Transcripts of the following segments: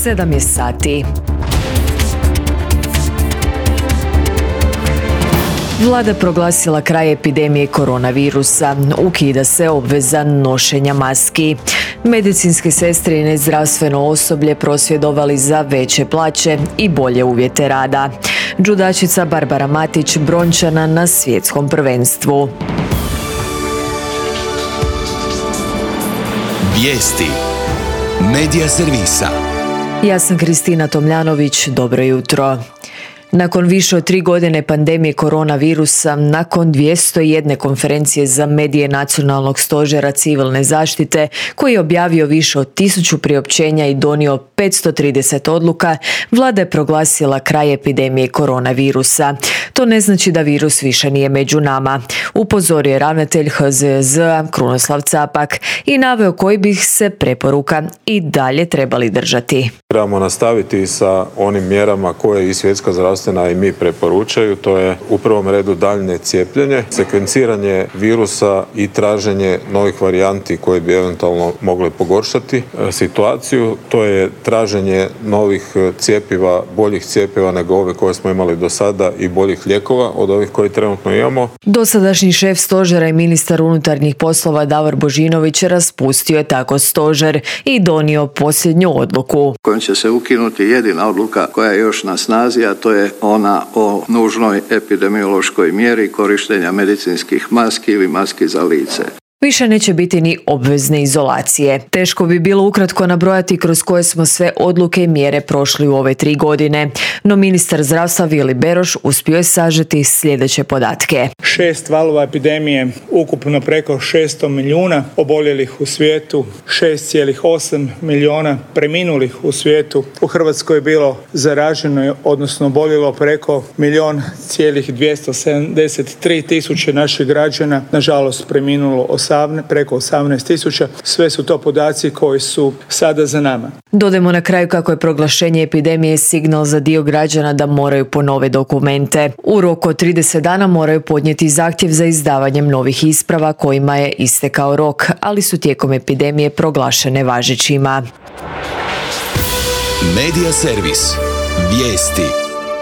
7 je sati. Vlada proglasila kraj epidemije koronavirusa. Ukida se obveza nošenja maski. Medicinske sestre i nezdravstveno osoblje prosvjedovali za veće plaće i bolje uvjete rada. Džudačica Barbara Matić brončana na svjetskom prvenstvu. Vijesti Medija servisa. Ja sam Kristina Tomljanović, dobro jutro. Nakon više od 3 godine pandemije koronavirusa, nakon 201 konferencije za medije Nacionalnog stožera civilne zaštite, koji je objavio više od 1000 priopćenja i donio 530 odluka, Vlada je proglasila kraj epidemije koronavirusa. To ne znači da virus više nije među nama, upozorio je ravnatelj HZJZ-a Krunoslav Capak i naveo koji bi se preporuka i dalje trebali držati. Trebamo nastaviti sa onim mjerama koje i Svjetska zdravstvena i mi preporučaju, to je u prvom redu daljnje cijepljenje, sekvenciranje virusa i traženje novih varijanti koje bi eventualno mogle pogoršati situaciju, to je traženje novih cjepiva, boljih cjepiva nego ove koje smo imali do sada i boljih lijekova od ovih koje trenutno imamo. Dosadašnji šef stožera i ministar unutarnjih poslova Davor Božinović raspustio je tako stožer i donio posljednju odluku. Kojom će se ukinuti jedina odluka koja je još na snazi, a to je ona o nužnoj epidemiološkoj mjeri korištenja medicinskih maski ili maski za lice. Više neće biti ni obvezne izolacije. Teško bi bilo ukratko nabrojati kroz koje smo sve odluke i mjere prošli u ove 3 godine. No ministar zdravstva Vili Beroš uspio je sažeti sljedeće podatke. 6 valova epidemije, ukupno preko 600 milijuna oboljelih u svijetu, 6,8 milijuna preminulih u svijetu. U Hrvatskoj je bilo zaraženo, odnosno oboljelo preko 1,273 tisuće naših građana. Nažalost, preminulo preko 18.000. Sve su to podaci koji su sada za nama. Dodajmo na kraju kako je proglašenje epidemije signal za dio građana da moraju ponove dokumente. U roku od 30 dana moraju podnijeti zahtjev za izdavanjem novih isprava kojima je istekao rok, ali su tijekom epidemije proglašene važećima. Medija servis. Vijesti.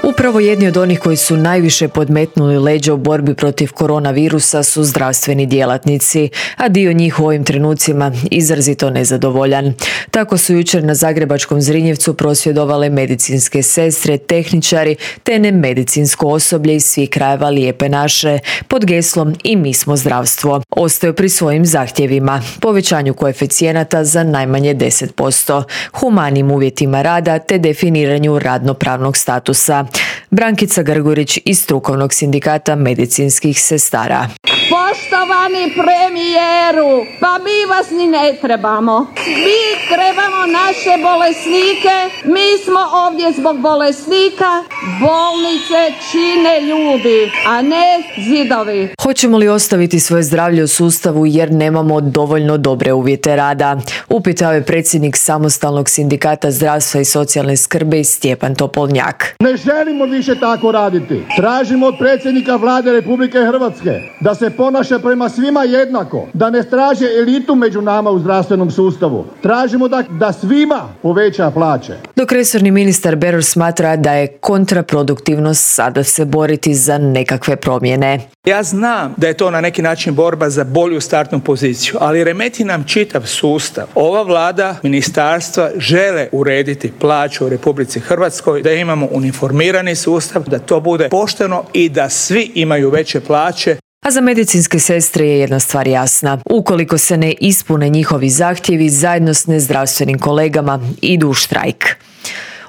Upravo jedni od onih koji su najviše podmetnuli leđa u borbi protiv koronavirusa su zdravstveni djelatnici, a dio njih u ovim trenucima izrazito nezadovoljan. Tako su jučer na zagrebačkom Zrinjevcu prosvjedovale medicinske sestre, tehničari te nemedicinsko osoblje iz svih krajeva Lijepe naše pod geslom I mi smo zdravstvo. Ostaju pri svojim zahtjevima, povećanju koeficijenata za najmanje 10%, humanim uvjetima rada te definiranju radnopravnog statusa. Brankica Grgurić iz strukovnog sindikata medicinskih sestara. Poštovani premijeru, pa mi vas ni ne trebamo. Mi trebamo naše bolesnike, mi smo ovdje zbog bolesnika, bolnice čine ljudi, a ne zidovi. Hoćemo li ostaviti svoje zdravlje u sustavu jer nemamo dovoljno dobre uvjete rada? Upitao je predsjednik samostalnog sindikata zdravstva i socijalne skrbi Stjepan Topolnjak. Ne želimo više tako raditi. Tražimo od predsjednika Vlade Republike Hrvatske da se ponaša prema svima jednako, da ne traže elitu među nama u zdravstvenom sustavu. Tražimo da svima poveća plaće. Dok resorni ministar Beroš smatra da je kontraproduktivno sada se boriti za nekakve promjene. Ja znam da je to na neki način borba za bolju startnu poziciju, ali remeti nam čitav sustav. Ova vlada, ministarstva žele urediti plaću u Republici Hrvatskoj, da imamo uniformirani sustav, da to bude pošteno i da svi imaju veće plaće. A za medicinske sestre je jedna stvar jasna. Ukoliko se ne ispune njihovi zahtjevi, zajedno s nezdravstvenim kolegama idu u štrajk.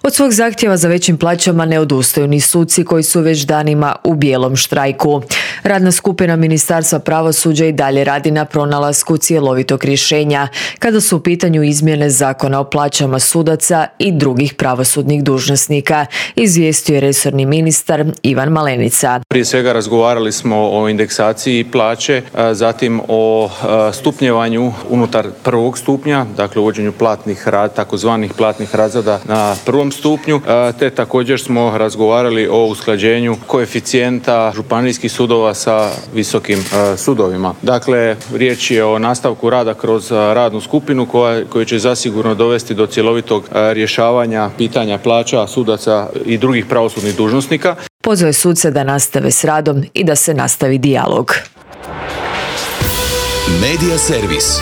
Od svog zahtjeva za većim plaćama ne odustaju ni suci koji su već danima u bijelom štrajku. Radna skupina Ministarstva pravosuđa i dalje radi na pronalasku cjelovitog rješenja kada su u pitanju izmjene Zakona o plaćama sudaca i drugih pravosudnih dužnosnika, izvijestio je resorni ministar Ivan Malenica. Prije svega razgovarali smo o indeksaciji plaće, zatim o stupnjevanju unutar prvog stupnja, dakle uvođenju platnih takozvanih platnih razreda na prvom prvom stupnju, te također smo razgovarali o usklađenju koeficijenta županijskih sudova sa visokim sudovima. Dakle, riječ je o nastavku rada kroz radnu skupinu koja će zasigurno dovesti do cjelovitog rješavanja pitanja plaća sudaca i drugih pravosudnih dužnosnika. Pozvao je suce da nastave s radom i da se nastavi dijalog. Medija servis.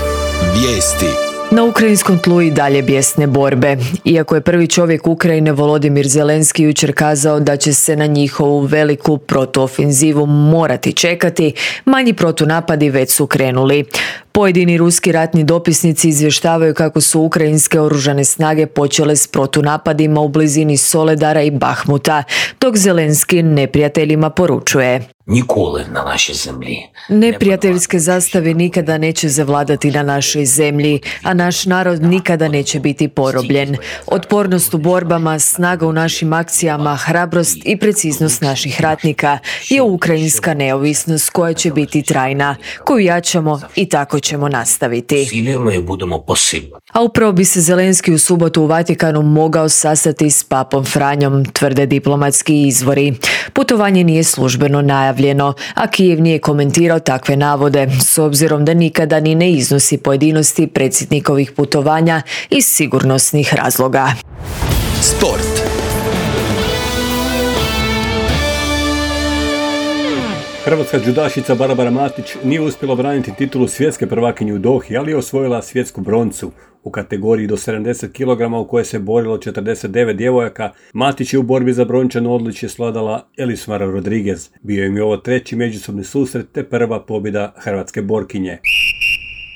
Vijesti. Na ukrajinskom tlu i dalje bijesne borbe. Iako je prvi čovjek Ukrajine Volodimir Zelenski jučer kazao da će se na njihovu veliku protuofenzivu morati čekati, manji protunapadi već su krenuli. Pojedini ruski ratni dopisnici izvještavaju kako su ukrajinske oružane snage počele s protunapadima u blizini Soledara i Bahmuta, dok Zelenski neprijateljima poručuje: Nіколи на нашій землі. Neprijateljske zastave nikada neće zavladati na našoj zemlji, a naš narod nikada neće biti porobljen. Otpornost u borbama, snaga u našim akcijama, hrabrost i preciznost naših ratnika je ukrajinska neovisnost koja će biti trajna, koju jačamo i tako ćemo nastaviti. Силимо і будемо посилювати. A upravo bi se Zelenski u subotu u Vatikanu mogao sastati s papom Franjom, tvrde diplomatski izvori. Putovanje nije službeno najavljeno, a Kijev nije komentirao takve navode, s obzirom da nikada ni ne iznosi pojedinosti predsjednikovih putovanja iz sigurnosnih razloga. Sport. Hrvatska džudašica Barbara Matić nije uspjela obraniti titulu svjetske prvakinje u Dohi, ali je osvojila svjetsku broncu. U kategoriji do 70 kg u kojoj se borilo 49 djevojaka, Matić je u borbi za brončano odličje svladala Elismara Rodriguez. Bio im je ovo treći međusobni susret te prva pobjeda hrvatske borkinje.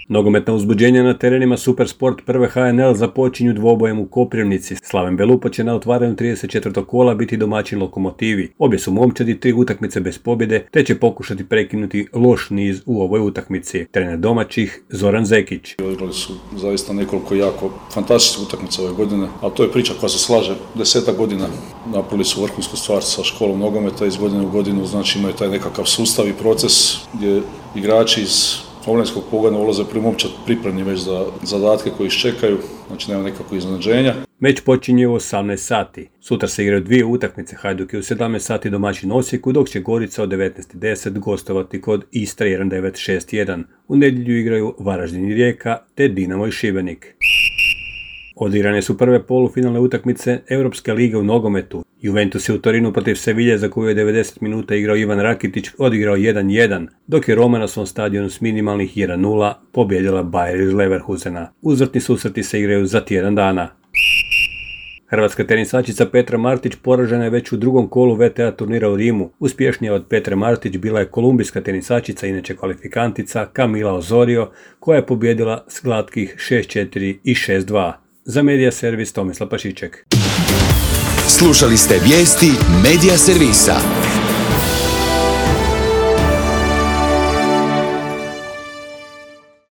Nogometna uzbuđenja na terenima Supersport prve HNL započinju dvobojem u Koprivnici. Slaven Belupo će na otvaranju 34. kola biti domaćin Lokomotivi. Obje su momčadi 3 utakmice bez pobjede, te će pokušati prekinuti loš niz u ovoj utakmici. Trener domaćih Zoran Zekić. Odigrali su zaista nekoliko jako fantastičnih utakmica ove godine, ali to je priča koja se slaže 10 godina. Napravili su vrhunsku stvar sa školom nogometa iz godine u godinu, znači imaju taj nekakav sustav i proces gdje igrači iz omladinskog pogona ulaze momčad pripremni već za zadatke koji ih čekaju, znači nema nekakvog iznenađenja. Meč počinje u 18 sati. Sutra se igraju 2 utakmice, Hajduk je u 17 sati domaćin Osijeku, dok će Gorica od 19:10 gostovati kod Istre 1961. U nedjelju igraju Varaždin i Rijeka te Dinamo i Šibenik. Odigrane su prve polufinalne utakmice Europske lige u nogometu. Juventus je u Torinu protiv Sevilje, za koju je 90 minuta igrao Ivan Rakitić, odigrao 1-1, dok je Roma na svom stadionu s minimalnih 1-0 pobjedila Bayer iz Leverkusena. Uzvratni susreti se igraju za tjedan dana. Hrvatska tenisačica Petra Martić poražena je već u drugom kolu WTA turnira u Rimu. Uspješnija od Petre Martić bila je kolumbijska tenisačica, inače kvalifikantica Camila Osorio, koja je pobjedila s glatkih 6-4 i 6-2. Za Medija servis Tomislav Pašiček. Slušali ste vijesti Medija servisa.